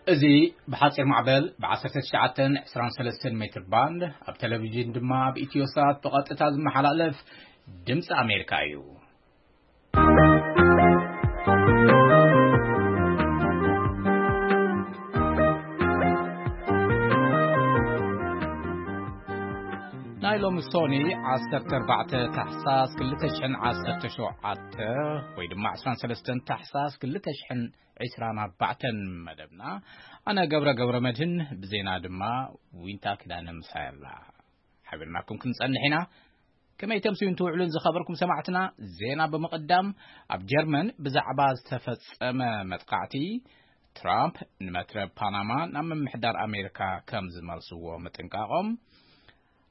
እዚ ብሓጺር ማዕበል ብ19 23 ሜትር ባንድ፣ ኣብ ቴሌቪዥን ድማ ኣብ ኢትዮ ሳት ብቐጥታ ዝመሓላለፍ ድምፂ ኣሜሪካ እዩ። ናይ ሎሚ ሶኒ 14 ታሕሳስ 2017 ወይ ድማ 23 ታሕሳስ 2024 መደብና፣ ኣነ ገብረ ገብረ መድህን፣ ብዜና ድማ ዊንታ ኪዳነ ምሳይ ኣላ። ሓቢርናኩም ክንጸንሕ ኢና። ከመይ ተምስዩን ትውዕሉን ዝኸበርኩም ሰማዕትና? ዜና ብምቕዳም፣ ኣብ ጀርመን ብዛዕባ ዝተፈጸመ መጥቃዕቲ፣ ትራምፕ ንመትረብ ፓናማ ናብ ምምሕዳር ኣሜሪካ ከም ዝመልስዎ ምጥንቃቖም፣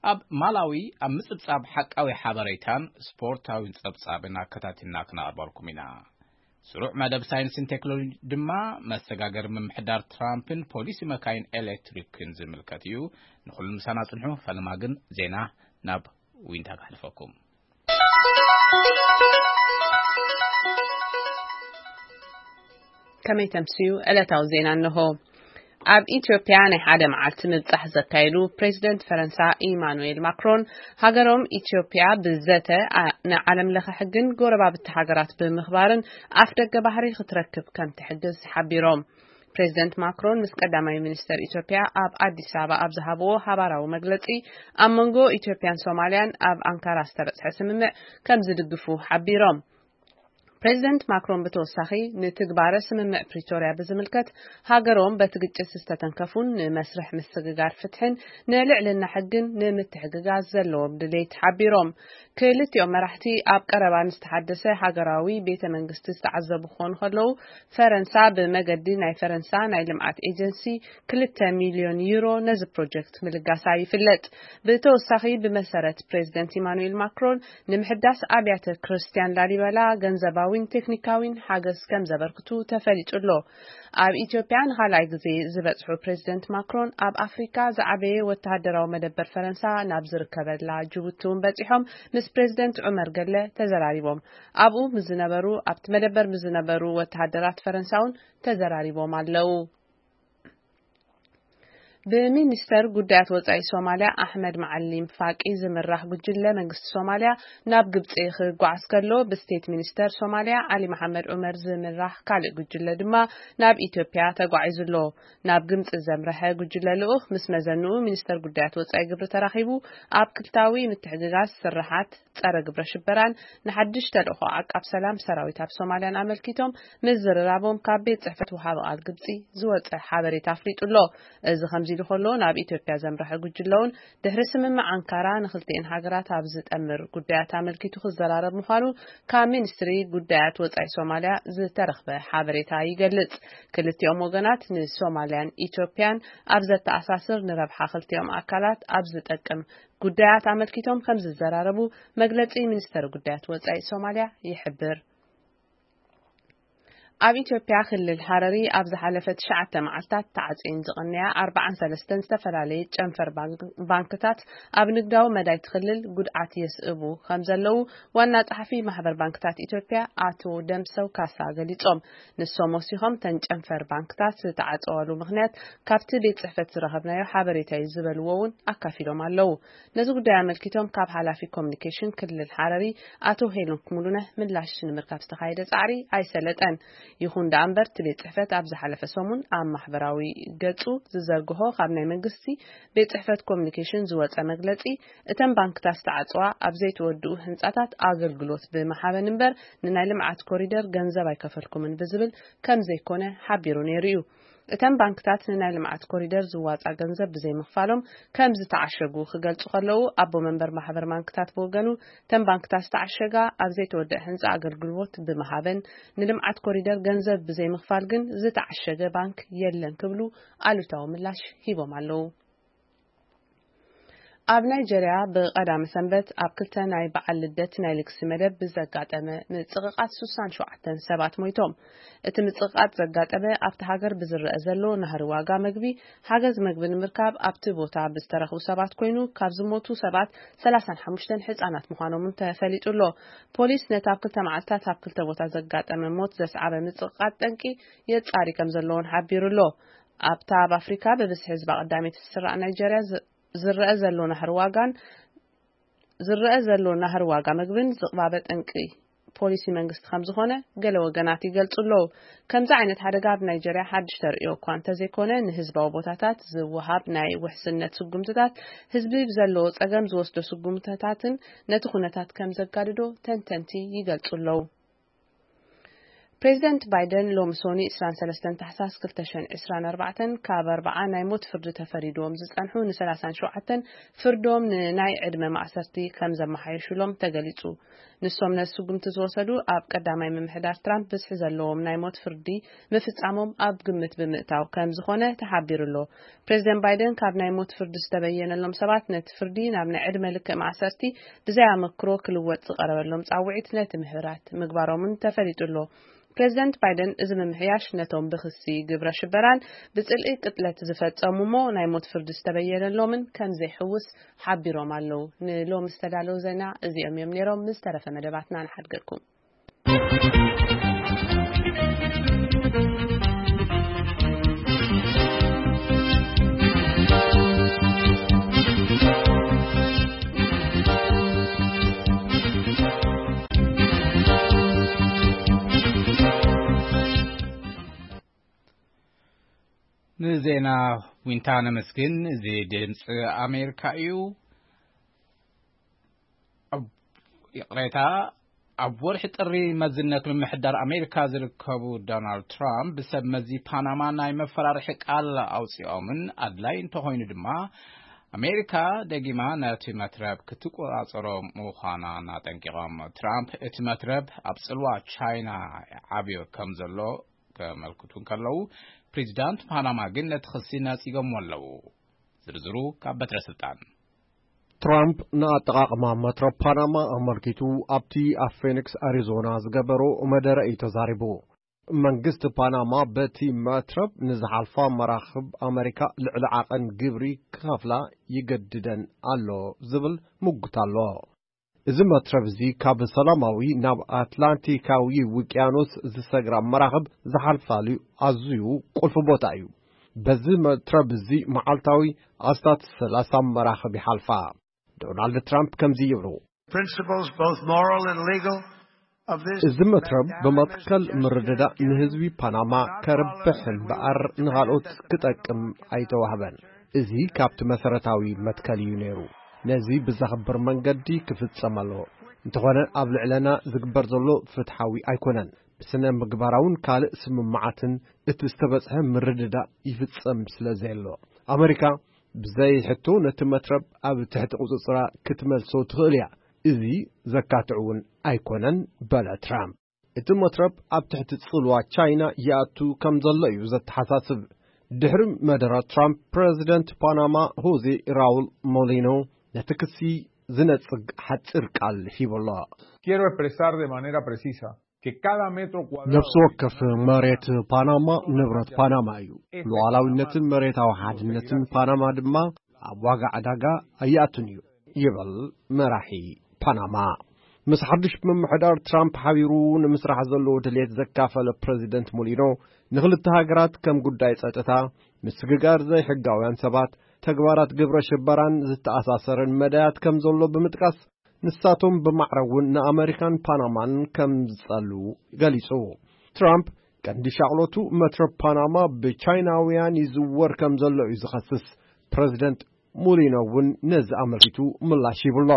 ኣብ ማላዊ ኣብ ምጽብጻብ ሓቃዊ ሓበሬታን ስፖርታዊን ጸብጻብን ኣከታቲልና ክነቕርበልኩም ኢና። ስሩዕ መደብ ሳይንስን ቴክኖሎጂ ድማ፣ መሰጋገሪ ምምሕዳር ትራምፕን ፖሊሲ መካይን ኤሌክትሪክን ዝምልከት እዩ። ንኹሉ ምሳና ጽንሑ። ፈለማ ግን ዜና ናብ ዊንታ ከሕልፈኩም። ከመይ ተምስዩ? ዕለታዊ ዜና እንሆ። ኣብ ኢትዮጵያ ናይ ሓደ መዓልቲ ምብጻሕ ዘካየዱ ፕሬዚደንት ፈረንሳ ኢማኑኤል ማክሮን፣ ሃገሮም ኢትዮጵያ ብዘተ ኣ-፣ ንዓለም ለኸ ሕግን ጎረባብቲ ሃገራት ብምኽባርን ኣፍ ደገ ባህሪ ክትረክብ ከም ትሕግዝ ሓቢሮም። ፕሬዚደንት ማክሮን ምስ ቀዳማይ ሚኒስተር ኢትዮጵያ ኣብ ኣዲስ ኣበባ ኣብ ዝሃብዎ ሃባራዊ መግለጺ፣ ኣብ መንጎ ኢትዮጵያን ሶማልያን ኣብ ኣንካራ ዝተበጽሐ ስምምዕ ከም ዝድግፉ ሓቢሮም። ፕሬዚደንት ማክሮን ብተወሳኺ፣ ንትግባረ ስምምዕ ፕሪቶርያ ብዝምልከት፣ ሃገሮም በቲ ግጭት ዝተተንከፉን ንመስርሕ ምስግጋር ፍትሕን ንልዕልና ሕግን ንምትሕግጋዝ ዘለዎም ድሌት ሓቢሮም። ክልቲኦም መራሕቲ ኣብ ቀረባ ንዝተሓደሰ ሃገራዊ ቤተ መንግስቲ ዝተዓዘቡ ክኾኑ ከለዉ፣ ፈረንሳ ብመገዲ ናይ ፈረንሳ ናይ ልምዓት ኤጀንሲ 2 ሚልዮን ዩሮ ነዚ ፕሮጀክት ምልጋሳ ይፍለጥ። ብተወሳኺ፣ ብመሰረት ፕሬዚደንት ኢማኑኤል ማክሮን፣ ንምሕዳስ ኣብያተ ክርስቲያን ላሊበላ ገንዘባዊን ቴክኒካዊን ሓገዝ ከም ዘበርክቱ ተፈሊጡ ኣሎ። ኣብ ኢትዮጵያ ንኻልኣይ ግዜ ዝበጽሑ ፕሬዚደንት ማክሮን፣ ኣብ ኣፍሪካ ዝዓበየ ወተሃደራዊ መደበር ፈረንሳ ናብ ዝርከበላ ጅቡቲ እውን በጺሖም ምስ ፕሬዚደንት ዑመር ገለ ተዘራሪቦም። ኣብኡ ምስ ዝነበሩ፣ ኣብቲ መደበር ምስ ዝነበሩ ወተሃደራት ፈረንሳ እውን ተዘራሪቦም ኣለዉ። ብሚኒስተር ጉዳያት ወጻኢ ሶማልያ ኣሕመድ መዓሊም ፋቂ ዝምራሕ ጉጅለ መንግስቲ ሶማልያ ናብ ግብጺ ክጓዓዝ ከሎ፣ ብስቴት ሚኒስተር ሶማልያ ዓሊ መሓመድ ዑመር ዝምራሕ ካልእ ጉጅለ ድማ ናብ ኢትዮጵያ ተጓዒዙ ኣሎ። ናብ ግብጺ ዘምረሐ ጉጅለ ልኡኽ ምስ መዘንኡ ሚኒስተር ጉዳያት ወጻኢ ግብሪ ተራኺቡ፣ ኣብ ክልታዊ ምትሕግጋዝ ስርሓት ጸረ ግብረ ሽበራን ንሓድሽ ተልእኾ ዓቃብ ሰላም ሰራዊት ኣብ ሶማልያን ኣመልኪቶም ምዝርራቦም ካብ ቤት ጽሕፈት ወሃቢ ቃል ግብጺ ዝወጸ ሓበሬታ ኣፍሊጡ ኣሎ። እዚ ከምዚ ኢሉ ከሎ፣ ናብ ኢትዮጵያ ዘምረሐ ጉጅለውን ድሕሪ ስምምዕ ኣንካራ ንክልቲኤን ሃገራት ኣብ ዝጠምር ጉዳያት ኣመልኪቱ ክዘራረብ ምዃኑ ካብ ሚኒስትሪ ጉዳያት ወጻኢ ሶማልያ ዝተረኽበ ሓበሬታ ይገልጽ። ክልቲኦም ወገናት ንሶማልያን ኢትዮጵያን ኣብ ዘተኣሳስር፣ ንረብሓ ክልቲኦም ኣካላት ኣብ ዝጠቅም ጉዳያት ኣመልኪቶም ከም ዝዘራረቡ መግለጺ ሚኒስተር ጉዳያት ወጻኢ ሶማልያ ይሕብር። ኣብ ኢትዮጵያ ክልል ሃረሪ ኣብ ዝሓለፈ ትሽዓተ መዓልታት ተዓጽየን ዝቐነያ ኣርባዓን ሰለስተን ዝተፈላለየ ጨንፈር ባንክ-፣ ባንክታት ኣብ ንግዳዊ መዳይ እቲ ክልል ጉድኣት የስእቡ ከም ዘለዉ ዋና ጸሓፊ ማሕበር ባንክታት ኢትዮጵያ ኣቶ ደምሰው ካሳ ገሊጾም። ንሶም ወሲኾም፣ ተን ጨንፈር ባንክታት ዝተዓጸዋሉ ምኽንያት ካብቲ ቤት ጽሕፈት ዝረኸብናዮ ሓበሬታ እዩ ዝበልዎ እውን ኣካፊሎም ኣለዉ። ነዚ ጉዳይ ኣመልኪቶም ካብ ሓላፊ ኮሚኒኬሽን ክልል ሓረሪ ኣቶ ሄኖክ ሙሉነህ ምላሽ ንምርካብ ዝተኻየደ ጻዕሪ ኣይሰለጠን። ይኹን ደኣ እምበር፣ እቲ ቤት ጽሕፈት ኣብ ዝሓለፈ ሰሙን ኣብ ማሕበራዊ ገጹ ዝዘርግሖ ካብ ናይ መንግስቲ ቤት ጽሕፈት ኮሚኒኬሽን ዝወጸ መግለጺ፣ እተን ባንክታት ዝተዓጽዋ ኣብ ዘይተወድኡ ህንጻታት ኣገልግሎት ብምሃበን እምበር ንናይ ልምዓት ኮሪደር ገንዘብ ኣይከፈልኩምን ብዝብል ከም ዘይኮነ ሓቢሩ ነይሩ እዩ። እተን ባንክታት ንናይ ልምዓት ኮሪደር ዝዋጻ ገንዘብ ብዘይምኽፋሎም ከም ዝተዓሸጉ ክገልጹ ከለዉ፣ ኣቦ መንበር ማሕበር ባንክታት ብወገኑ፣ እተን ባንክታት ዝተዓሸጋ ኣብ ዘይተወደአ ህንጻ ኣገልግሎት ብምሃበን ንልምዓት ኮሪደር ገንዘብ ብዘይምኽፋል ግን ዝተዓሸገ ባንክ የለን ክብሉ ኣሉታዊ ምላሽ ሂቦም ኣለዉ። ኣብ ናይጀርያ ብቐዳመ ሰንበት ኣብ ክልተ ናይ በዓል ልደት ናይ ልግሲ መደብ ብዘጋጠመ ምጽቕቓጥ 67 ሰባት ሞይቶም። እቲ ምጽቕቓጥ ዘጋጠመ ኣብቲ ሃገር ብዝረአ ዘሎ ናህሪ ዋጋ መግቢ፣ ሓገዝ መግቢ ንምርካብ ኣብቲ ቦታ ብዝተረኽቡ ሰባት ኮይኑ፣ ካብ ዝሞቱ ሰባት 35 ህጻናት ምዃኖም እውን ተፈሊጡ ኣሎ። ፖሊስ ነቲ ኣብ ክልተ መዓልታት ኣብ ክልተ ቦታ ዘጋጠመ ሞት ዘስዓበ ምጽቕቓጥ ጠንቂ የጻሪ ከም ዘለዎን ሓቢሩ ኣሎ። ኣብታ ኣብ ኣፍሪካ ብብዝሒ ህዝባ ቀዳመይቲ ትስራዕ ናይጀርያ ዝ- ዝረአ ዘሎ ናህሪ ዋጋን ዝረአ ዘሎ ናህሪ ዋጋ ምግብን ዝቕባበ ጠንቂ ፖሊሲ መንግስቲ ከም ዝኾነ ገለ ወገናት ይገልጹ ኣለዉ። ከምዚ ዓይነት ሓደጋ ኣብ ናይጀርያ ሓድሽ ተርእዮ እኳ እንተዘይኮነ፣ ንህዝባዊ ቦታታት ዝወሃብ ናይ ውሕስነት ስጉምትታት ህዝቢ ብዘለዎ ጸገም ዝወስዶ ስጉምትታትን ነቲ ኩነታት ከም ዘጋድዶ ተንተንቲ ይገልጹ ኣለዉ። ፕሬዚደንት ባይደን ሎሚ ሶኒ ዕስራን ሰለስተን ታሕሳስ ክልተ ሽሕን ዕስራን ኣርባዕተን ካብ ኣርባዓ ናይ ሞት ፍርዲ ተፈሪድዎም ዝጸንሑ ንሰላሳን ሸውዓተን ፍርዶም ንናይ ዕድመ ማእሰርቲ ከም ዘመሓየሹሎም ተገሊጹ። ንሶም ነዚ ስጉምቲ ዝወሰዱ ኣብ ቀዳማይ ምምሕዳር ትራምፕ ብዝሒ ዘለዎም ናይ ሞት ፍርዲ ምፍጻሞም ኣብ ግምት ብምእታው ከም ዝኾነ ተሓቢሩ ኣሎ። ፕሬዚደንት ባይደን ካብ ናይ ሞት ፍርዲ ዝተበየነሎም ሰባት ነቲ ፍርዲ ናብ ናይ ዕድመ ልክዕ ማእሰርቲ ብዘይ ኣመክሮ ክልወጥ ዝቐረበሎም ጻውዒት ነቲ ምሕብራት ምግባሮምን ተፈሊጡ ኣሎ። ፕሬዚደንት ባይደን እዚ ምምሕያሽ ነቶም ብክሲ ግብረ ሽበራን ብጽልኢ ቅጥለት ዝፈጸሙ እሞ ናይ ሞት ፍርዲ ዝተበየነሎምን ከም ዘይሕውስ ሓቢሮም ኣለዉ። ንሎሚ ዝተዳለዉ ዜና እዚኦም እዮም ነይሮም። ምስ ተረፈ መደባትና ንሓድገኩም። ንዜና ዊንታ ነመስግን። እዚ ድምፂ ኣሜሪካ እዩ። ኣብ- ይቕሬታ። ኣብ ወርሒ ጥሪ መዝነት ምምሕዳር ኣሜሪካ ዝርከቡ ዶናልድ ትራምፕ ብሰብ መዚ ፓናማ ናይ መፈራርሒ ቃል ኣውፂኦምን ኣድላይ እንተኾይኑ ድማ ኣሜሪካ ደጊማ ነቲ መትረብ ክትቆፃፀሮ ምዃናን ኣጠንቂቖም። ትራምፕ እቲ መትረብ ኣብ ፅልዋ ቻይና ዓብዮ ከም ዘሎ ከመልክቱ እንከለዉ፣ ፕሬዚዳንት ፓናማ ግን ነቲ ክሲ ነፂጎምዎ ኣለዉ። ዝርዝሩ ካብ በትረ ስልጣን። ትራምፕ ንኣጠቓቕማ መትረብ ፓናማ ኣመልኪቱ ኣብቲ ኣብ ፌኒክስ ኣሪዞና ዝገበሮ መደረ እዩ ተዛሪቡ። መንግስቲ ፓናማ በቲ መትረብ ንዝሓልፋ መራኽብ ኣመሪካ ልዕሊ ዓቐን ግብሪ ክኸፍላ ይገድደን ኣሎ ዝብል ምጉት ኣሎ። እዚ መትረብ እዚ ካብ ሰላማዊ ናብ ኣትላንቲካዊ ውቅያኖስ ዝሰግራ መራኽብ ዝሓልፋሉ ኣዝዩ ቁልፊ ቦታ እዩ። በዚ መትረብ እዚ መዓልታዊ ኣስታት ሰላሳ መራኽብ ይሓልፋ። ዶናልድ ትራምፕ ከምዚ ይብሉ። Principles, both moral and legal, of this እዚ መትረብ ብመትከል ምርድዳእ ንህዝቢ ፓናማ ከርብሕ እምበኣር ንኻልኦት ክጠቅም ኣይተዋህበን። እዚ ካብቲ መሰረታዊ መትከል እዩ ነይሩ። ነዚ ብዘኽብር መንገዲ ክፍጸም ኣለዎ። እንተኾነ ኣብ ልዕለና ዝግበር ዘሎ ፍትሓዊ ኣይኮነን። ብስነ ምግባራውን ካልእ ስምምዓትን እቲ ዝተበጽሐ ምርድዳእ ይፍጸም ስለ ዘየሎ፣ ኣመሪካ ብዘይ ሕቶ ነቲ መትረብ ኣብ ትሕቲ ቁጽጽራ ክትመልሶ ትኽእል እያ። እዚ ዘካትዕ እውን ኣይኮነን፣ በለ ትራምፕ። እቲ መትረብ ኣብ ትሕቲ ጽልዋ ቻይና ይኣቱ ከም ዘሎ እዩ ዘተሓሳስብ። ድሕሪ መደረ ትራምፕ፣ ፕረዚደንት ፓናማ ሆዜ ራውል ሞሊኖ ነቲ ክሲ ዝነጽግ ሓጺር ቃል ሂቡ ኣሎ። Quiero expresar de manera precisa que cada metro cuadrado ነፍሲ ወከፍ መሬት ፓናማ ንብረት ፓናማ እዩ። ሉዓላዊነትን መሬታዊ ሓድነትን ፓናማ ድማ ኣብ ዋጋ ዕዳጋ ኣይኣቱን እዩ፣ ይብል መራሒ ፓናማ። ምስ ሓድሽ ምምሕዳር ትራምፕ ሓቢሩ ንምስራሕ ዘለዎ ድሌት ዘካፈለ ፕረዚደንት ሞሊኖ፣ ንኽልተ ሃገራት ከም ጉዳይ ጸጥታ፣ ምስግጋር ዘይሕጋውያን ሰባት፣ ተግባራት ግብረ ሽበራን ዝተኣሳሰረን መዳያት ከም ዘሎ ብምጥቃስ፣ ንሳቶም ብማዕረ እውን ንኣመሪካን ፓናማን ከም ዝጸልዉ ገሊጹ። ትራምፕ ቀንዲ ሻቕሎቱ መትረብ ፓናማ ብቻይናውያን ይዝወር ከም ዘሎ እዩ ዝኸስስ። ፕረዚደንት ሙሊኖ እውን ነዚ ኣመልኪቱ ምላሽ ሂቡ ኣሎ።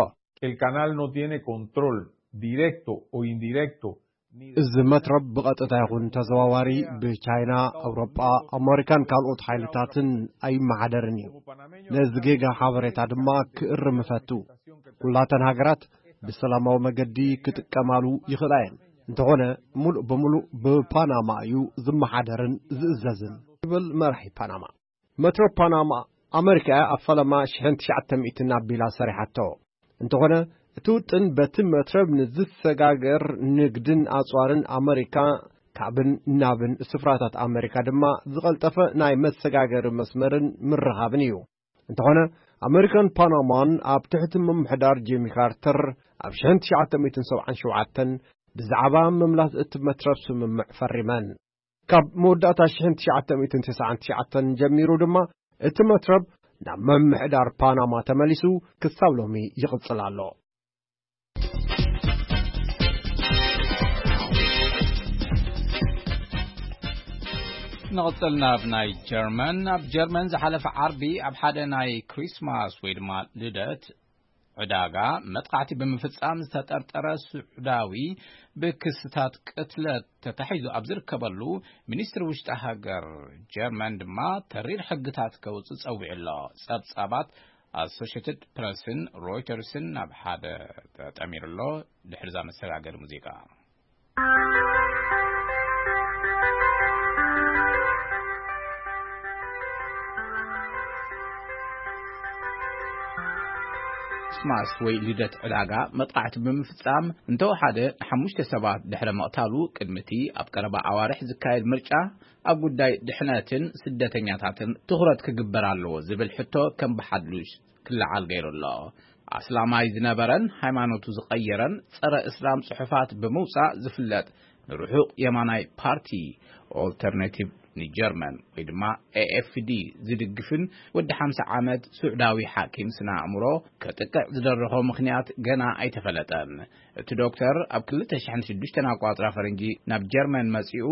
El canal no tiene control directo o indirecto ni de እዚ መትረብ ብቐጥታ ይኹን ተዘዋዋሪ ብቻይና፣ ኣውሮጳ፣ ኣመሪካን ካልኦት ሓይልታትን ኣይመሓደርን እዩ። ነዚ ጌጋ ሓበሬታ ድማ ክእርም እፈቱ። ኩላተን ሃገራት ብሰላማዊ መገዲ ክጥቀማሉ ይኽእላ እየን። እንተኾነ፣ ሙሉእ ብምሉእ ብፓናማ እዩ ዝመሓደርን ዝእዘዝን፣ ይብል መራሒ ፓናማ። መትረብ ፓናማ፣ ኣመሪካ እያ ኣብ ፈለማ ሽሕን ትሽዓተ ሚእትን ኣቢላ ሰሪሓቶ። እንተኾነ፣ እቲ ውጥን በቲ መትረብ ንዝሰጋገር ንግድን ኣጽዋርን ኣመሪካ ካብን ናብን ስፍራታት ኣመሪካ ድማ ዝቐልጠፈ ናይ መሰጋገሪ መስመርን ምርኻብን እዩ። እንተኾነ፣ ኣመሪካን ፓናማን ኣብ ትሕቲ ምምሕዳር ጂሚ ካርተር ኣብ ሽሕን ትሽዓተ ሚእትን ሰብዓን ሸውዓተን ብዛዕባ ምምላስ እቲ መትረብ ስምምዕ ፈሪመን። ካብ መወዳእታ ሽሕን ትሽዓተ ሚእትን ተስዓን ትሽዓተን ጀሚሩ ድማ እቲ መትረብ ናብ ምምሕዳር ፓናማ ተመሊሱ ክሳብ ሎሚ ይቕጽል ኣሎ። ንቕጽል ናብ ናይ ጀርመን። ኣብ ጀርመን ዝሓለፈ ዓርቢ ኣብ ሓደ ናይ ክሪስማስ ወይ ድማ ልደት ዕዳጋ መጥቃዕቲ ብምፍጻም ዝተጠርጠረ ስዑዳዊ ብክስታት ቅትለት ተታሒዙ ኣብ ዝርከበሉ፣ ሚኒስትሪ ውሽጢ ሃገር ጀርመን ድማ ተሪር ሕግታት ከውጽእ ጸዊዑ ኣሎ። ጸብጻባት ኣሶሽትድ ፕረስን ሮይተርስን ናብ ሓደ ተጠሚሩ ኣሎ። ድሕሪዛ መሰጋገሪ ሙዚቃ። ክሪስማስ ወይ ልደት ዕዳጋ መጥቃዕቲ ብምፍጻም እንተወሓደ ንሓሙሽተ ሰባት ድሕሪ ምቕታሉ፣ ቅድሚቲ ኣብ ቀረባ ኣዋርሕ ዝካየድ ምርጫ ኣብ ጉዳይ ድሕነትን ስደተኛታትን ትኹረት ክግበር ኣለዎ ዝብል ሕቶ ከም ብሓድሽ ክለዓል ገይሩ ኣሎ። ኣስላማይ ዝነበረን ሃይማኖቱ ዝቐየረን ጸረ እስላም ጽሑፋት ብምውጻእ ዝፍለጥ ንርሑቕ የማናይ ፓርቲ ኦልተርናቲቭ ንጀርመን ወይ ድማ ኤ ኤፍ ዲ ዝድግፍን ወዲ ሓምሳ ዓመት ስዑዳዊ ሓኪም ስነ ኣእምሮ ከጥቅዕ ዝደረኾ ምኽንያት ገና ኣይተፈለጠን። እቲ ዶክተር ኣብ ክልተ ሽሕን ሽዱሽተን ኣቋጽራ ፈረንጂ ናብ ጀርመን መጺኡ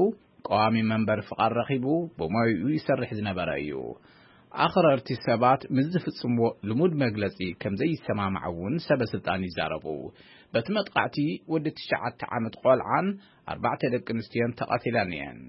ቀዋሚ መንበሪ ፍቓድ ረኺቡ ብሞይኡ ይሰርሕ ዝነበረ እዩ። ኣኽረርቲ ሰባት ምስ ዝፍጽምዎ ልሙድ መግለጺ ከም ዘይሰማማዕ እውን ሰበ ስልጣን ይዛረቡ። በቲ መጥቃዕቲ ወዲ ትሽዓተ ዓመት ቆልዓን ኣርባዕተ ደቂ ኣንስትዮን ተቐቲለን እየን።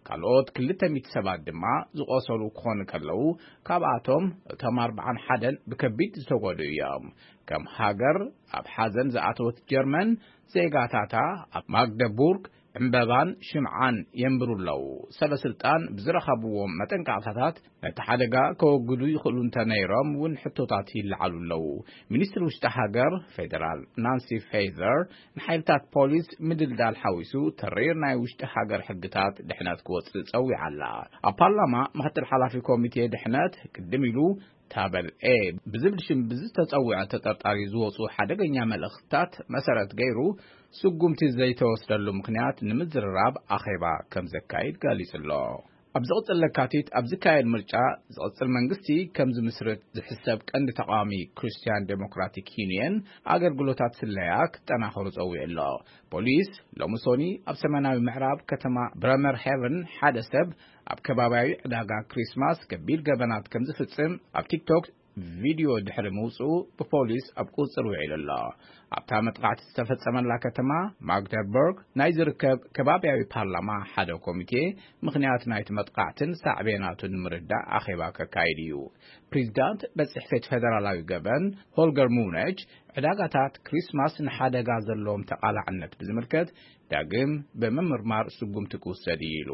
ካልኦት ክልተ ሚእቲ ሰባት ድማ ዝቖሰሉ ክኾኑ ከለዉ፣ ካብኣቶም እቶም ኣርባዓን ሓደን ብከቢድ ዝተጎድኡ እዮም። ከም ሃገር ኣብ ሓዘን ዝኣተወት ጀርመን፣ ዜጋታታ ኣብ ማግደቡርግ ዕምበባን ሽምዓን የንብሩ ኣለዉ። ሰበ ስልጣን ብዝረኸብዎም መጠንቀቕታታት ነቲ ሓደጋ ከወግዱ ይኽእሉ እንተነይሮም እውን ሕቶታት ይለዓሉ ኣለዉ። ሚኒስትሪ ውሽጢ ሃገር ፌደራል ናንሲ ፌዘር ንሓይልታት ፖሊስ ምድልዳል ሓዊሱ ተሪር ናይ ውሽጢ ሃገር ሕግታት ድሕነት ክወጽእ ጸዊዓ ኣላ። ኣብ ፓርላማ ምክትል ሓላፊ ኮሚቴ ድሕነት ቅድም ኢሉ ታበል ኤ ብዝብል ሽም ብዝተጸውዐ ተጠርጣሪ ዝወጹ ሓደገኛ መልእኽትታት መሰረት ገይሩ ስጉምቲ ዘይተወስደሉ ምኽንያት ንምዝርራብ ኣኼባ ከም ዘካይድ ገሊጹ ኣሎ። ኣብ ዝቕጽል ለካቲት ኣብ ዝካየድ ምርጫ ዝቕጽል መንግስቲ ከም ዝምስርት ዝሕሰብ ቀንዲ ተቃዋሚ ክርስቲያን ዴሞክራቲክ ዩኒየን ኣገልግሎታት ስለያ ክጠናኸሩ ጸዊዑ ኣሎ። ፖሊስ ሎሚ ሶኒ ኣብ ሰሜናዊ ምዕራብ ከተማ ብረመር ሄቨን ሓደ ሰብ ኣብ ከባቢያዊ ዕዳጋ ክሪስማስ ከቢድ ገበናት ከም ዝፍጽም ኣብ ቲክቶክ ቪድዮ ድሕሪ ምውጽኡ ብፖሊስ ኣብ ቁጽጽር ውዒሉ ኣሎ። ኣብታ መጥቃዕቲ ዝተፈጸመላ ከተማ ማግደርበርግ ናይ ዝርከብ ከባቢያዊ ፓርላማ ሓደ ኮሚቴ ምኽንያት ናይቲ መጥቃዕትን ሳዕቤናቱን ንምርዳእ ኣኼባ ከካይድ እዩ። ፕሬዚዳንት ቤት ጽሕፈት ፌደራላዊ ገበን ሆልገር ሙነች ዕዳጋታት ክሪስማስ ንሓደጋ ዘለዎም ተቓላዕነት ብዝምልከት ዳግም ብምምርማር ስጉምቲ ክውሰድ እዩ ኢሉ።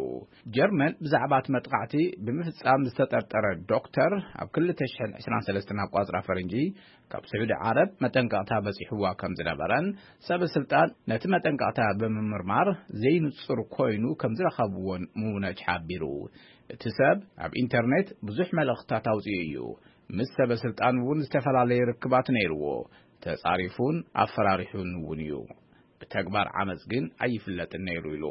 ጀርመን ብዛዕባ እቲ መጥቃዕቲ ብምፍጻም ዝተጠርጠረ ዶክተር ኣብ ክልተ ሽሕን ዕስራን ሰለስተን ኣቋጽራ ፈረንጂ ካብ ስዑዲ ዓረብ መጠንቀቕታ በጺሕዋ ከም ዝነበረን ሰበ ስልጣን ነቲ መጠንቀቕታ ብምምርማር ዘይንጹር ኮይኑ ከም ዝረኸብዎን ምውነጅ ሓቢሩ። እቲ ሰብ ኣብ ኢንተርኔት ብዙሕ መልእኽትታት ኣውጺኡ እዩ። ምስ ሰበ ስልጣን እውን ዝተፈላለየ ርክባት ነይርዎ። ተጻሪፉን ኣፈራሪሑን እውን እዩ። ብተግባር ዓመጽ ግን ኣይፍለጥን ነይሩ ኢሉ።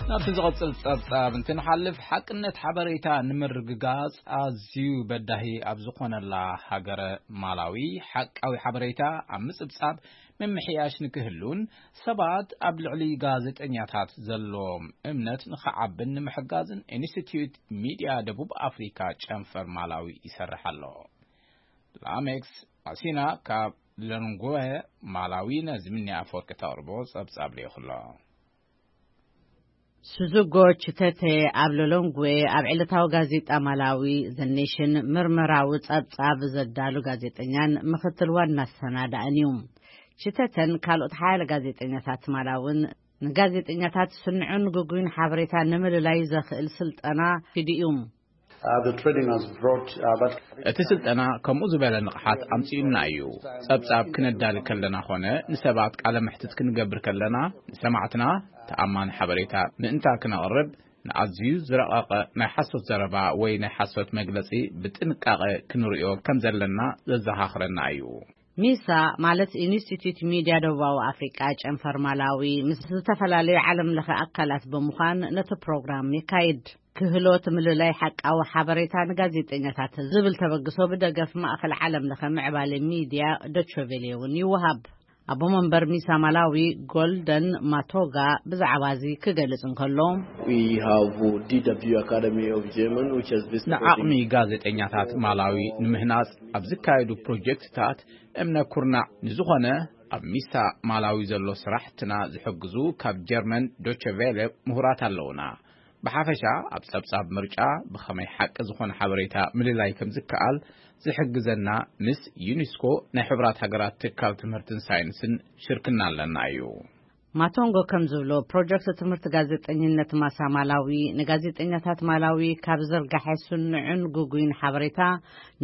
ናብቲ ዝቐጽል ጸብጻብ እንትንሓልፍ፣ ሓቅነት ሓበሬታ ንምርግጋጽ ኣዝዩ በዳሂ ኣብ ዝኾነላ ሃገረ ማላዊ፣ ሓቃዊ ሓበሬታ ኣብ ምጽብጻብ ምምሕያሽ ንክህሉን ሰባት ኣብ ልዕሊ ጋዜጠኛታት ዘለዎም እምነት ንኽዓብን ንምሕጋዝን ኢንስቲትዩት ሚድያ ደቡብ ኣፍሪካ ጨንፈር ማላዊ ይሰርሕ ኣሎ። ላሜክስ ኣሲና ካብ ለንጎ ማላዊ ነዚ ምኒ ኣፈወርቂ ተቕርቦ ጸብጻብ ልኢኹ ኣሎ። ሱዙጎ ችተተ ኣብ ሎሎንግዌ ኣብ ዕለታዊ ጋዜጣ ማላዊ ዘ ኔሽን ምርመራዊ ጸብጻብ ዘዳሉ ጋዜጠኛን ምኽትል ዋና ኣሰናዳእን እዩ። ችተተን ካልኦት ሓያለ ጋዜጠኛታት ማላውን ንጋዜጠኛታት ስኑዕን ግጉይን ሓበሬታ ንምልላይ ዘኽእል ስልጠና ሂዱ እዩ። Uh, the training has brought, uh, that እቲ ስልጠና ከምኡ ዝበለ ንቕሓት ኣምጺኡልና እዩ። ጸብጻብ ክነዳሊ ከለና ኾነ ንሰባት ቃለ መሕትት ክንገብር ከለና ንሰማዕትና ተኣማኒ ሓበሬታ ምእንታ ክነቕርብ ንኣዝዩ ዝረቐቐ ናይ ሓሶት ዘረባ ወይ ናይ ሓሶት መግለጺ ብጥንቃቐ ክንርእዮ ከም ዘለና ዘዘኻኽረና እዩ። ሚሳ ማለት ኢንስቲትዩት ሚድያ ደቡባዊ ኣፍሪቃ ጨንፈር ማላዊ ምስ ዝተፈላለዩ ዓለም ለኸ ኣካላት ብምዃን ነቲ ፕሮግራም የካይድ። ክህሎት ምልላይ ሓቃዊ ሓበሬታ ንጋዜጠኛታት ዝብል ተበግሶ ብደገፍ ማእኸል ዓለም ለኸ ምዕባለ ሚድያ ዶቸቬሌ እውን ይወሃብ። ኣቦ መንበር ሚሳ ማላዊ ጎልደን ማቶጋ ብዛዕባ እዚ ክገልጽ እንከሎ፣ We have D W Academy of German, which has been ንዓቕሚ ጋዜጠኛታት ማላዊ ንምህናጽ ኣብ ዝካየዱ ፕሮጀክትታት እምነ ኩርናዕ ንዝኾነ ኣብ ሚሳ ማላዊ ዘሎ ስራሕትና ዝሕግዙ ካብ ጀርመን ዶቸ ቬለ ምሁራት ኣለውና። ብሓፈሻ ኣብ ጸብጻብ ምርጫ ብኸመይ ሓቂ ዝኾነ ሓበሬታ ምልላይ ከም ዝከኣል ዝሕግዘና ምስ ዩኒስኮ ናይ ሕቡራት ሃገራት ትካል ትምህርትን ሳይንስን ሽርክና ኣለና እዩ። ማቶንጎ ከም ዝብሎ፣ ፕሮጀክት ትምህርቲ ጋዜጠኝነት ማሳ ማላዊ ንጋዜጠኛታት ማላዊ ካብ ዝርጋሐ ስኑዕን ግጉይን ሓበሬታ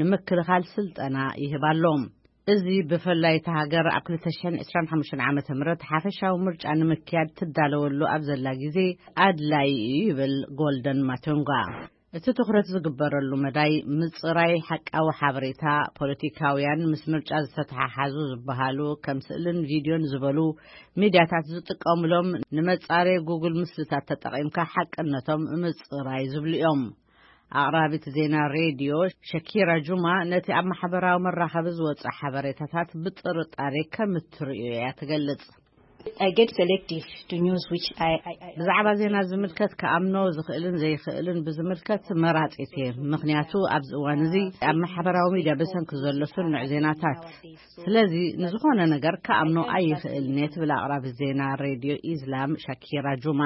ንምክልኻል ስልጠና ይህብ ኣሎ። እዚ ብፍላይ እታ ሃገር ኣብ ክልተ ሽሕን ዕስራን ሓሙሽተን ዓመተ ምህረት ሓፈሻዊ ምርጫ ንምክያድ ትዳለወሉ ኣብ ዘላ ግዜ ኣድላይ እዩ ይብል ጎልደን ማቶንጋ። እቲ ትኹረት ዝግበረሉ መዳይ ምጽራይ ሓቃዊ ሓበሬታ፣ ፖለቲካውያን ምስ ምርጫ ዝተተሓሓዙ ዝበሃሉ ከም ስእልን ቪድዮን ዝበሉ ሚድያታት ዝጥቀሙሎም ንመጻረይ ጉግል ምስልታት ተጠቒምካ ሓቅነቶም ምጽራይ ዝብሉ እዮም። ኣቕራቢት ዜና ሬድዮ ሸኪራ ጁማ ነቲ ኣብ ማሕበራዊ መራኸቢ ዝወጽእ ሓበሬታታት ብጥርጣሬ ከም እትርእዮ እያ ትገልጽ። I get selective to news which I, I, I ብዛዕባ ዜና ዝምልከት ክኣምኖ ዝኽእልን ዘይኽእልን ብዝምልከት መራጺት እየ። ምኽንያቱ ኣብዚ እዋን እዚ ኣብ ማሕበራዊ ሚድያ ብሰንኪ ዘሎ ስኑዕ ዜናታት። ስለዚ ንዝኾነ ነገር ክኣምኖ ኣይኽእልን እየ ትብል ኣቕራቢት ዜና ሬድዮ ኢስላም ሻኪራ ጁማ።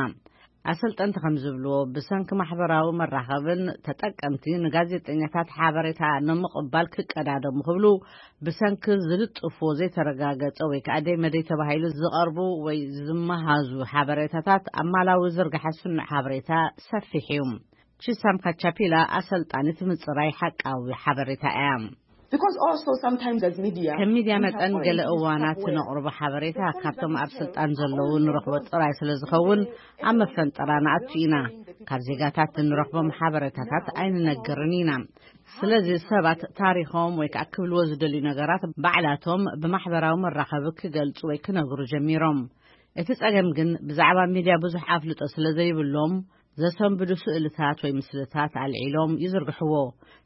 ኣሰልጠንቲ ከም ዝብልዎ፣ ብሰንኪ ማሕበራዊ መራኸብን ተጠቀምቲ ንጋዜጠኛታት ሓበሬታ ንምቕባል ክቀዳደሙ ክብሉ ብሰንኪ ዝልጥፍዎ ዘይተረጋገጸ ወይ ከኣ ደይ መደይ ተባሂሉ ዝቐርቡ ወይ ዝመሃዙ ሓበሬታታት ኣብ ማላዊ ዝርግሐ ስኑዕ ሓበሬታ ሰፊሕ እዩ። ቺሳም ካቻፒላ ኣሰልጣኒት ምጽራይ ሓቃዊ ሓበሬታ እያ። Because also sometimes as media ከም ሚድያ we have መጠን our ገለ interests እዋናት at work. ነቕርቦ ሓበሬታ ካብቶም ኣብ ስልጣን ዘለዉ ንረኽቦ ጥራይ ስለ ዝኸውን ኣብ መፈንጠራ ንኣቱ ኢና። ካብ ዜጋታት እንረኽቦም ሓበሬታታት ኣይንነግርን ኢና። ስለዚ ሰባት ታሪኾም ወይ ከዓ ክብልዎ ዝደልዩ ነገራት ባዕላቶም ብማሕበራዊ መራኸቢ ክገልጹ ወይ ክነግሩ ጀሚሮም። እቲ ጸገም ግን ብዛዕባ ሚድያ ብዙሕ ኣፍልጦ ስለ ዘይብሎም ዘሰንብዱ ስእልታት ወይ ምስልታት ኣልዒሎም ይዝርግሕዎ።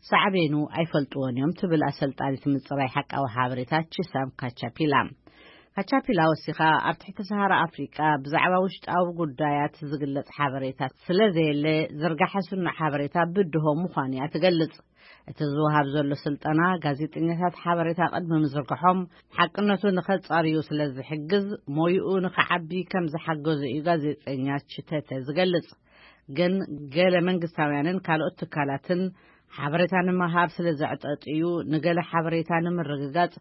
ሳዕቤኑ ኣይፈልጥዎን እዮም ትብል ኣሰልጣኒት ምጽራይ ሓቃዊ ሓበሬታ ቺሳም ካቻፒላ። ካቻፒላ ወሲኻ ኣብ ትሕቲ ሰሃራ ኣፍሪቃ ብዛዕባ ውሽጣዊ ጉዳያት ዝግለጽ ሓበሬታ ስለ ዘየለ ዝርጋሐ ስኑዕ ሓበሬታ ብድሆ ምዃኑ እያ ትገልጽ። እቲ ዝወሃብ ዘሎ ስልጠና ጋዜጠኛታት ሓበሬታ ቅድሚ ምዝርግሖም ሓቅነቱ ንኸጻርዩ ስለ ዝሕግዝ ሞይኡ ንኸዓቢ ከም ዝሓገዞ እዩ ጋዜጠኛ ችተተ ዝገልጽ። ግን ገለ መንግስታውያንን ካልኦት ትካላትን ሓበሬታ ንምሃብ ስለ ዘዕጠጥዩ ንገለ ሓበሬታ ንምርግጋጽ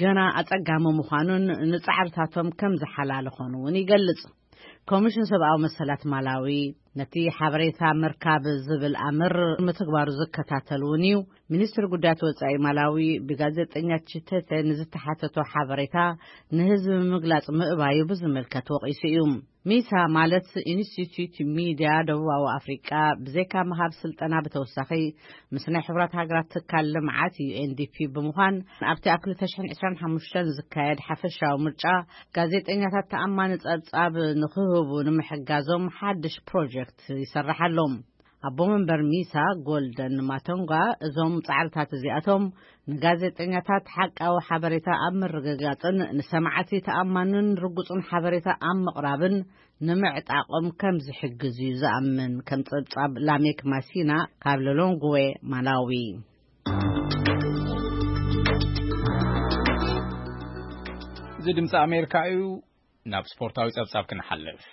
ገና ኣጸጋሚ ምዃኑን ንጻዕርታቶም ከም ዝሓላለኾን እውን ይገልጽ። ኮሚሽን ሰብኣዊ መሰላት ማላዊ ነቲ ሓበሬታ ምርካብ ዝብል ኣምር ምትግባሩ ዝከታተል እውን እዩ። ሚኒስትሪ ጉዳያት ወጻኢ ማላዊ ብጋዜጠኛ ችተተ ንዝተሓተቶ ሓበሬታ ንህዝቢ ምግላጽ ምእባዩ ብዝምልከት ወቒሱ እዩ። ሚሳ ማለት ኢንስቲትዩት ሚድያ ደቡባዊ ኣፍሪቃ ብዘይካ ምሃብ ስልጠና ብተወሳኺ ምስ ናይ ሕቡራት ሃገራት ትካል ልምዓት ዩ ኤን ዲ ፒ ብምዃን ኣብቲ ኣብ ክልተ ሽሕን ዕስራን ሓሙሽተን ዝካየድ ሓፈሻዊ ምርጫ ጋዜጠኛታት ተኣማኒ ጸብጻብ ንኽህቡ ንምሕጋዞም ሓድሽ ፕሮጀክት ይሰርሕ ኣሎ። ኣቦ መንበር ሚሳ ጎልደን ማቶንጋ እዞም ጻዕርታት እዚኣቶም ንጋዜጠኛታት ሓቃዊ ሓበሬታ ኣብ ምርግጋጽን ንሰማዕቲ ተኣማንን ርጉጽን ሓበሬታ ኣብ ምቕራብን ንምዕጣቖም ከም ዝሕግዝ እዩ ዝኣምን። ከም ጸብጻብ ላሜክ ማሲና ካብ ሎሎንግዌ ማላዊ። እዚ ድምፂ ኣሜሪካ እዩ። ናብ ስፖርታዊ ጸብጻብ ክንሓልፍ።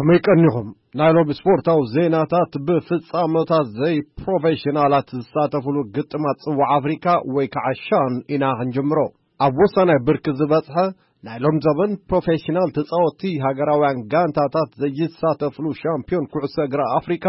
መይቀኒኹም ናይ ሎሚ ስፖርታዊ ዜናታት ብፍጻመታት ዘይፕሮፌሽናላት ዝሳተፍሉ ግጥማት ጽዋዕ ኣፍሪካ ወይ ከዓ ሻን ኢና ክንጅምሮ። ኣብ ወሳናይ ብርኪ ዝበጽሐ ናይ ሎም ዘበን ፕሮፌሽናል ተጻወትቲ ሃገራውያን ጋንታታት ዘይሳተፍሉ ሻምፒዮን ኩዕሶ እግሪ ኣፍሪካ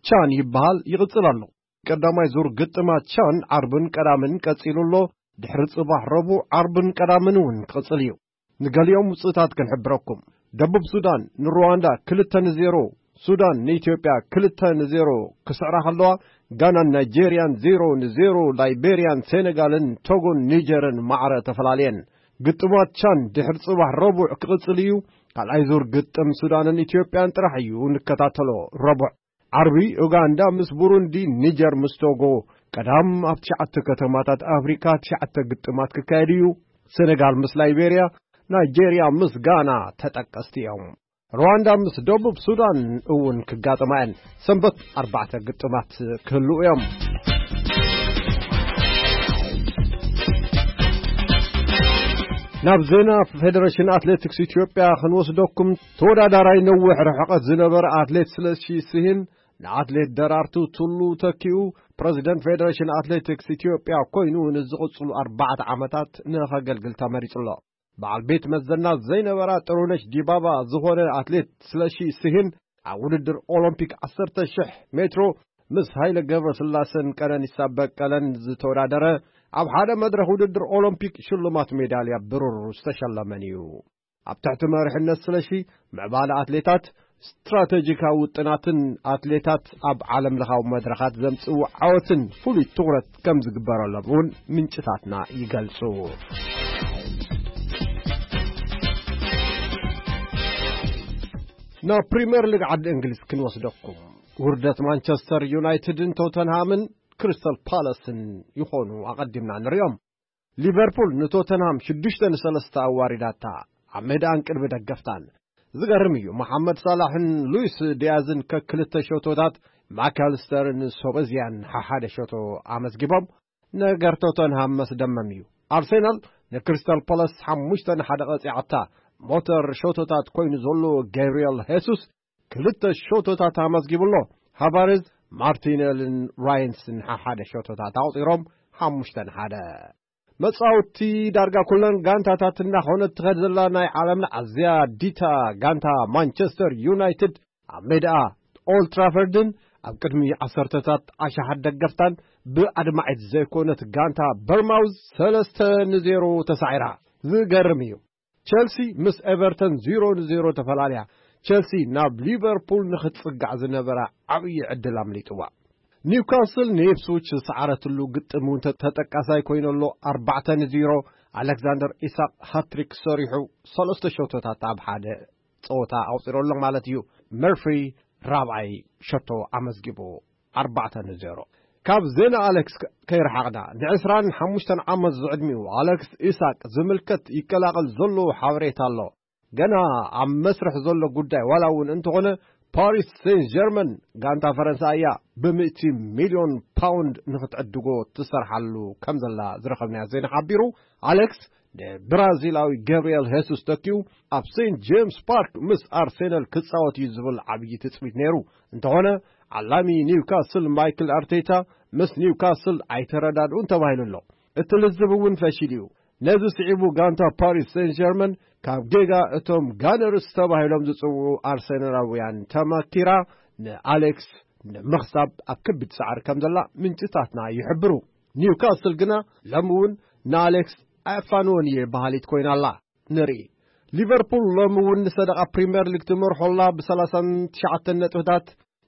ቻን ይበሃል ይቕጽል ኣሎ። ቀዳማይ ዙር ግጥማት ቻን ዓርብን ቀዳምን ቀጺሉ ኣሎ። ድሕሪ ጽባሕ ረቡዕ ዓርብን ቀዳምን እውን ክቕጽል እዩ። ንገሊኦም ውጽኢታት ክንሕብረኩም። ደቡብ ሱዳን ንሩዋንዳ ክልተ ንዜሮ፣ ሱዳን ንኢትዮጵያ ክልተ ንዜሮ ክስዕራ ከለዋ፣ ጋናን ናይጄርያን ዜሮ ንዜሮ፣ ላይቤርያን ሴኔጋልን ቶጎን ኒጀርን ማዕረ ተፈላለየን። ግጥማት ቻን ድሕሪ ጽባሕ ረቡዕ ክቕጽል እዩ። ካልኣይ ዙር ግጥም ሱዳንን ኢትዮጵያን ጥራሕ እዩ ንከታተሎ። ረቡዕ ዓርቢ ኡጋንዳ ምስ ቡሩንዲ፣ ኒጀር ምስ ቶጎ። ቀዳም ኣብ ትሽዓተ ከተማታት ኣፍሪካ ትሽዓተ ግጥማት ክካየድ እዩ። ሴኔጋል ምስ ላይቤርያ፣ ናይጄርያ ምስ ጋና ተጠቀስቲ እዮም። ሩዋንዳ ምስ ደቡብ ሱዳን እውን ክጋጠማ እየን። ሰንበት ኣርባዕተ ግጥማት ክህልዉ እዮም። ናብ ዜና ፌደሬሽን ኣትሌቲክስ ኢትዮጵያ ክንወስደኩም። ተወዳዳራይ ነዊሕ ርሕቀት ዝነበረ ኣትሌት ስለሺ ስሂን ንኣትሌት ደራርቱ ቱሉ ተኪኡ ፕረዚደንት ፌደሬሽን ኣትሌቲክስ ኢትዮጵያ ኮይኑ ንዝቕጽሉ ኣርባዕተ ዓመታት ንኸገልግል ተመሪጹ ኣሎ። በዓል ቤት መዘና ዘይነበራ ጥሩነሽ ዲባባ ዝኾነ ኣትሌት ስለሺ ስሂን ኣብ ውድድር ኦሎምፒክ ዓሰርተ ሺሕ ሜትሮ ምስ ሃይለ ገብረስላሰን ቀነኒሳ በቀለን ዝተወዳደረ፣ ኣብ ሓደ መድረኽ ውድድር ኦሎምፒክ ሽልማት ሜዳልያ ብሩር ዝተሸለመን እዩ። ኣብ ትሕቲ መሪሕነት ስለሺ ምዕባለ ኣትሌታት፣ ስትራቴጂካዊ ውጥናትን ኣትሌታት ኣብ ዓለም ለኻዊ መድረኻት ዘምጽእዎ ዓወትን ፍሉይ ትኹረት ከም ዝግበረሎም እውን ምንጭታትና ይገልጹ። ናብ ፕሪምየር ሊግ ዓዲ እንግሊዝ ክንወስደኩም። ውርደት ማንቸስተር ዩናይትድን ቶተንሃምን ክሪስታል ፓላስን ይኾኑ ኣቐዲምና ንሪኦም። ሊቨርፑል ንቶተንሃም ሽዱሽተ ንሰለስተ ኣዋሪዳታ ኣብ ሜዳኣን ቅድሚ ደገፍታን። ዝገርም እዩ፣ መሓመድ ሳላሕን ሉዊስ ዲያዝን ከክልተ ሸቶታት፣ ማካልስተርን ሶበዝያን ሓሓደ ሸቶ ኣመዝጊቦም። ነገር ቶተንሃም መስደመም እዩ። ኣርሴናል ንክሪስታል ፓላስ ሓሙሽተ ንሓደ ቀጺዓታ። ሞተር ሸቶታት ኮይኑ ዘሎ ጋብሪኤል ሄሱስ ክልተ ሸቶታት ኣመዝጊቡ ኣሎ። ሃቫርዝ፣ ማርቲነልን ራይንስን ሓሓደ ሸቶታት ኣቑጺሮም ሓሙሽተ ንሓደ። መጻወቲ ዳርጋ ኩለን ጋንታታት እናኾነት ትኸድ ዘላ ናይ ዓለምና ኣዝያ ዲታ ጋንታ ማንቸስተር ዩናይትድ ኣብ ሜዳኣ ኦልድ ትራፈርድን ኣብ ቅድሚ ዓሰርተታት ኣሽሓት ደገፍታን ብኣድማዒት ዘይኮነት ጋንታ በርማውዝ ሰለስተ ንዜሮ ተሳዒራ። ዝገርም እዩ። ቸልሲ ምስ ኤቨርተን ዜሮ ንዜሮ ተፈላለያ። ቸልሲ ናብ ሊቨርፑል ንኽትጽጋዕ ዝነበራ ዓብዪ ዕድል ኣምሊጥዋ። ኒውካስል ንኢፕስዊች ዝሰዓረትሉ ግጥም እውን ተ-፣ ተጠቃሳይ ኮይኑ ኣሎ። ኣርባዕተ ንዜሮ። ኣሌክሳንደር ኢሳቅ ሃትሪክ ሰሪሑ ሰለስተ ሸቶታት ኣብ ሓደ ጸወታ ኣውጺሩ ኣሎ ማለት እዩ። መርፍሪ ራብዓይ ሸቶ ኣመዝጊቡ። ኣርባዕተ ንዜሮ። ካብ ዜና ኣሌክስ ከ-፣ ከይረሓቕና፣ ንዕስራን ሓሙሽተን ዓመት ዝዕድሚኡ ኣሌክስ ኢሳቅ ዝምልከት ይቀላቐል ዘሎ ሓበሬታ ኣሎ። ገና ኣብ መስርሕ ዘሎ ጉዳይ ዋላ እውን እንተኾነ፣ ፓሪስ ሴን ጀርመን ጋንታ ፈረንሳ እያ ብሚእቲ ሚልዮን ፓውንድ ንኽትዕድጎ ትሰርሓሉ ከም ዘላ ዝረኸብናዮ ዜና ሓቢሩ። ኣሌክስ ንብራዚላዊ ገብርኤል ሄሱስ ተኪኡ ኣብ ሴንት ጄምስ ፓርክ ምስ ኣርሴናል ክጻወት እዩ ዝብል ዓብዪ ትጽቢት ነይሩ። እንተኾነ፣ ዓላሚ ኒውካስል ማይክል ኣርቴታ ምስ ኒውካስል ኣይተረዳድኡን ተባሂሉ ኣሎ። እቲ ልዝብ እውን ፈሺሉ እዩ። ነዚ ስዒቡ ጋንታ ፓሪስ ሴን ጀርመን ካብ ጌጋ እቶም ጋነርስ ተባሂሎም ዝጽውዑ ኣርሰናላውያን ተመኪራ ንኣሌክስ ንምኽሳብ ኣብ ከቢድ ጻዕሪ ከም ዘላ ምንጭታትና ይሕብሩ። ኒውካስል ግና ሎሚ እውን ንኣሌክስ ኣየፋንዎን እየ በሃሊት ኮይና ኣላ። ንርኢ። ሊቨርፑል ሎሚ እውን ንሰደቓ ፕሪምየር ሊግ ትመርሖ ኣላ ብሰላሳን ትሽዓተን ነጥብታት፣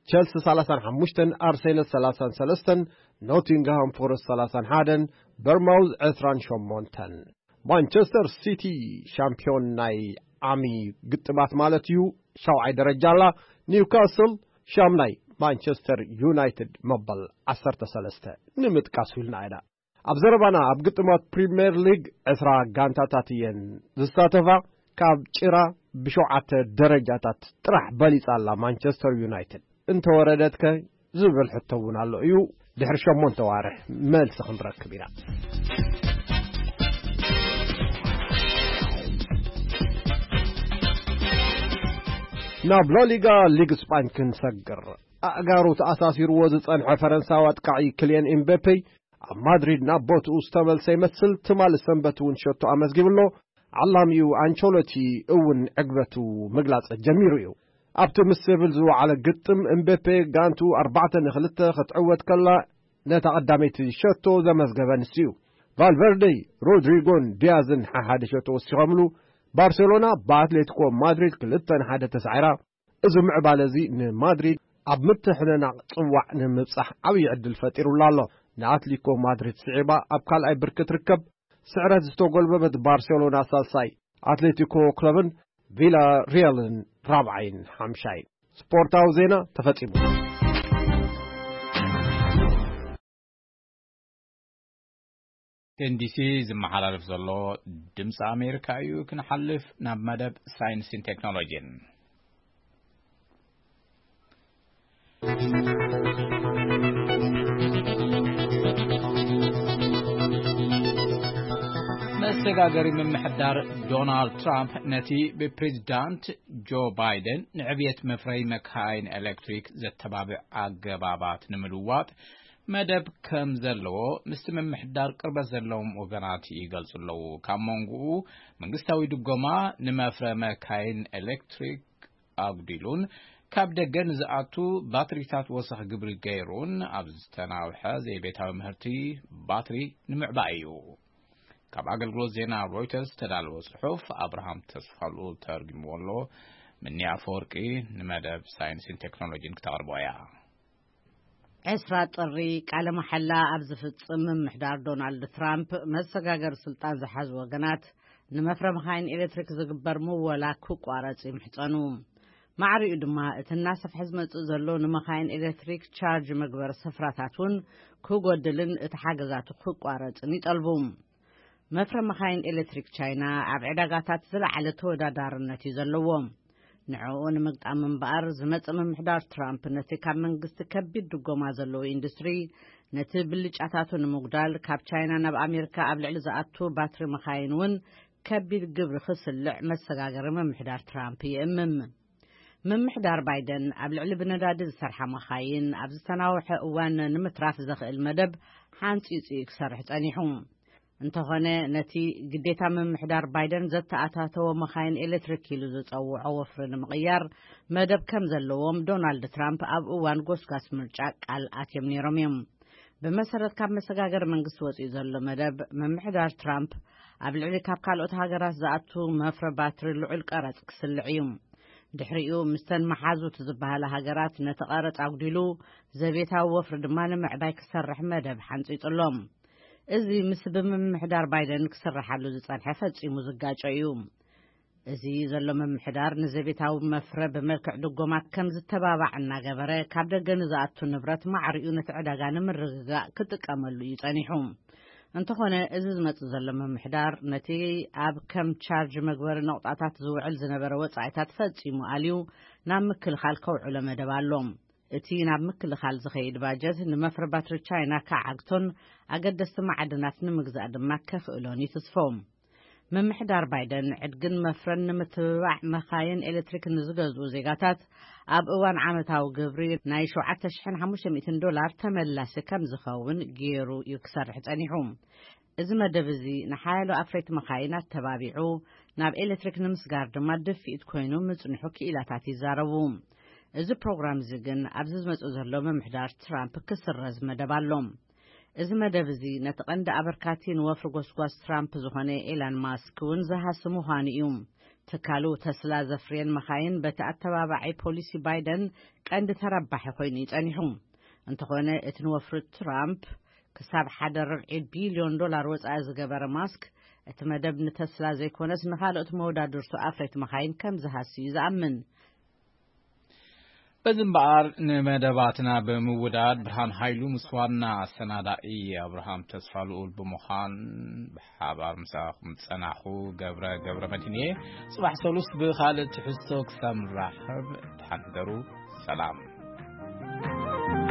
ቸልሲ ሰላሳን ሓሙሽተን፣ ኣርሴናል ሰላሳን ሰለስተን፣ ኖቲንግሃም ፎረስት ሰላሳን ሓደን፣ በርማውዝ ዕስራን ሸሞንተን። ማንቸስተር ሲቲ ሻምፒዮን ናይ ዓሚ ግጥማት ማለት እዩ፣ ሻውዓይ ደረጃ ኣላ። ኒውካስል ሻምናይ፣ ማንቸስተር ዩናይትድ መበል ዓሰርተ ሰለስተ ንምጥቃስ ኢልና ኢና። ኣብ ዘረባና ኣብ ግጥማት ፕሪምየር ሊግ ዕስራ ጋንታታት እየን ዝሳተፋ። ካብ ጭራ ብሸውዓተ ደረጃታት ጥራሕ በሊጻ ኣላ ማንቸስተር ዩናይትድ። እንተወረደትከ ዝብል ሕቶ እውን ኣሎ እዩ። ድሕሪ ሸሞንተ ዋርሕ መልሲ ክንረክብ ኢና። ናብ ላሊጋ ሊግ ስጳኝ ክንሰግር። ኣእጋሩ ተኣሳሲርዎ ዝጸንሐ ፈረንሳዊ ኣጥቃዒ ክልየን ኤምቤፔ ኣብ ማድሪድ ናብ ቦትኡ ዝተመልሰ ይመስል። ትማሊ ሰንበት እውን ሸቶ ኣመዝጊቡ ኣሎ። ዓላሚኡ ኣንቸሎቲ እውን ዕግበቱ ምግላጽ ጀሚሩ እዩ። ኣብቲ ምስ ሴቪል ዝወዓለ ግጥም፣ እምቤፔ ጋንቱ ኣርባዕተ ንክልተ ክትዕወት ከላ፣ ነታ ቀዳመይቲ ሸቶ ዘመዝገበ ንሱ እዩ። ቫልቨርደይ፣ ሮድሪጎን ዲያዝን ሓሓደ ሸቶ ወሲኾምሉ። ባርሴሎና ብኣትሌቲኮ ማድሪድ ክልተ ንሓደ ተሳዒራ። እዚ ምዕባለ እዚ ንማድሪድ ኣብ ምትሕንናቕ ጽዋዕ ንምብጻሕ ዓብዪ ዕድል ፈጢሩላ ኣሎ። ንኣትሌቲኮ ማድሪድ ስዒባ ኣብ ካልኣይ ብርኪ ትርከብ። ስዕረት ዝተጎልበበት ባርሴሎና ሳልሳይ፣ ኣትሌቲኮ ክለብን ቪላ ሪያልን ራብዓይን ሓምሻይን። ስፖርታዊ ዜና ተፈጺሙ። ዲሲ ዝመሓላለፍ ዘሎ ድምፂ ኣሜሪካ እዩ። ክንሓልፍ ናብ መደብ ሳይንስን ቴክኖሎጂን። መሰጋገሪ ምምሕዳር ዶናልድ ትራምፕ ነቲ ብፕሬዚዳንት ጆ ባይደን ንዕብየት መፍረይ መካይን ኤሌክትሪክ ዘተባብዕ ኣገባባት ንምልዋጥ መደብ ከም ዘለዎ ምስቲ ምምሕዳር ቅርበት ዘለዎም ወገናት ይገልጹ ኣለዉ። ካብ መንጎኡ መንግስታዊ ድጎማ ንመፍረ መካይን ኤሌክትሪክ ኣጉዲሉን ካብ ደገ ንዝኣቱ ባትሪታት ወሰኽ ግብሪ ገይሩን ኣብ ዝተናውሐ ዘይቤታዊ ምህርቲ ባትሪ ንምዕባይ እዩ። ካብ ኣገልግሎት ዜና ሮይተርስ ዝተዳለወ ጽሑፍ ኣብርሃም ተስፋልኡል ተርጉምዎ ኣሎ። ምኒ ኣፈወርቂ ንመደብ ሳይንስን ቴክኖሎጂን ክተቕርቦ እያ። ዕስራ ጥሪ ቃለ መሓላ ኣብ ዝፍጽም ምምሕዳር ዶናልድ ትራምፕ፣ መሰጋገሪ ስልጣን ዝሓዙ ወገናት ንመፍረ መኻይን ኤሌክትሪክ ዝግበር ምወላ ክቋረጽ ይምሕጸኑ። ማዕሪኡ ድማ እቲ እናሰፍሐ ዝመጽእ ዘሎ ንመኻይን ኤሌክትሪክ ቻርጅ መግበሪ ስፍራታት እውን ክጎድልን እቲ ሓገዛቱ ክቋረጽን ይጠልቡ። መፍረ መኻይን ኤሌክትሪክ ቻይና ኣብ ዕዳጋታት ዝለዓለ ተወዳዳርነት እዩ ዘለዎ። ንዕኡ ንምግጣም እምበኣር ዝመጽእ ምምሕዳር ትራምፕ ነቲ ካብ መንግስቲ ከቢድ ድጎማ ዘለዎ ኢንዱስትሪ ነቲ ብልጫታቱ ንምጉዳል ካብ ቻይና ናብ ኣሜሪካ ኣብ ልዕሊ ዝኣቱ ባትሪ መኻይን እውን ከቢድ ግብሪ ክስልዕ መሰጋገሪ ምምሕዳር ትራምፕ ይእምም። ምምሕዳር ባይደን ኣብ ልዕሊ ብነዳዲ ዝሰርሓ መኻይን ኣብ ዝተናውሐ እዋን ንምትራፍ ዘኽእል መደብ ሓንጺጹ እዩ ክሰርሕ ጸኒሑ። እንተኾነ ነቲ ግዴታ ምምሕዳር ባይደን ዘተኣታተወ መኻይን ኤሌክትሪክ ኢሉ ዝጸውዖ ወፍሪ ንምቕያር መደብ ከም ዘለዎም ዶናልድ ትራምፕ ኣብ እዋን ጎስጓስ ምርጫ ቃል ኣትዮም ነይሮም እዮም። ብመሰረት ካብ መሰጋገሪ መንግስቲ ወጺኡ ዘሎ መደብ፣ ምምሕዳር ትራምፕ ኣብ ልዕሊ ካብ ካልኦት ሃገራት ዝኣቱ መፍረ ባትሪ ልዑል ቀረጽ ክስልዕ እዩ። ድሕሪኡ ምስተን መሓዙት ዝበሃላ ሃገራት ነቲ ቀረጽ ኣጉዲሉ ዘቤታዊ ወፍሪ ድማ ንምዕባይ ክሰርሕ መደብ ሓንጺጹ ኣሎ። እዚ ምስ ብምምሕዳር ባይደን ክስርሓሉ ዝጸንሐ ፈጺሙ ዝጋጮ እዩ። እዚ ዘሎ ምምሕዳር ንዘቤታዊ መፍረ ብመልክዕ ድጎማ ከም ዝተባባዕ እናገበረ፣ ካብ ደገ ንዝኣቱ ንብረት ማዕሪኡ ነቲ ዕዳጋ ንምርግጋእ ክጥቀመሉ እዩ ጸኒሑ። እንተኾነ፣ እዚ ዝመጽእ ዘሎ ምምሕዳር ነቲ ኣብ ከም ቻርጅ መግበሪ ነቑጣታት ዝውዕል ዝነበረ ወጻኢታት ፈጺሙ ኣልዩ ናብ ምክልኻል ከውዕሎ መደብ ኣሎ። እቲ ናብ ምክልኻል ዝኸይድ ባጀት ንመፍረ ባትሪ ቻይና ክዓግቶን ኣገደስቲ ማዕድናት ንምግዛእ ድማ ከኽእሎን ይትስፎ። ምምሕዳር ባይደን ዕድግን መፍረን ንምትብባዕ መኻይን ኤሌክትሪክ ንዝገዝኡ ዜጋታት ኣብ እዋን ዓመታዊ ግብሪ ናይ ሸውዓተ ሽሕን ሓሙሽተ ሚእትን ዶላር ተመላሲ ከም ዝኸውን ገይሩ እዩ ክሰርሕ ጸኒሑ። እዚ መደብ እዚ ንሓያሎ ኣፍረይቲ መኻይን ኣተባቢዑ ናብ ኤሌክትሪክ ንምስጋር ድማ ድፍኢት ኮይኑ ምጽንሑ ክኢላታት ይዛረቡ። እዚ ፕሮግራም እዚ ግን ኣብዚ ዝመጽእ ዘሎ ምምሕዳር ትራምፕ ክስረዝ መደብ ኣሎ። እዚ መደብ እዚ ነቲ ቀንዲ ኣበርካቲ ንወፍሪ ጎስጓስ ትራምፕ ዝኾነ ኤላን ማስክ እውን ዝሃሲ ምዃኑ እዩ። ትካሉ ተስላ ዘፍርየን መኻይን በቲ ኣተባባዒ ፖሊሲ ባይደን ቀንዲ ተረባሒ ኮይኑ እዩ ጸኒሑ። እንተኾነ እቲ ንወፍሪ ትራምፕ ክሳብ ሓደ ርብዒ ቢልዮን ዶላር ወጻኢ ዝገበረ ማስክ፣ እቲ መደብ ንተስላ ዘይኮነስ ንኻልኦት መወዳድርቱ ኣፍረይቲ መኻይን ከም ዝሃሲ እዩ ዝኣምን። በዚ እምበኣር ንመደባትና ብምውዳድ ብርሃን ሃይሉ ምስ ዋና ኣሰናዳኢ ኣብርሃም ተስፋ ልኡል ብምዃን ብሓባር ምሳኹም ዝጸናኹ ገብረ ገብረ መድህን እየ። ጽባሕ ሰሉስ ብኻልእ ትሕዝቶ ክሳብ ንራኸብ ደሓን ሕደሩ። ሰላም።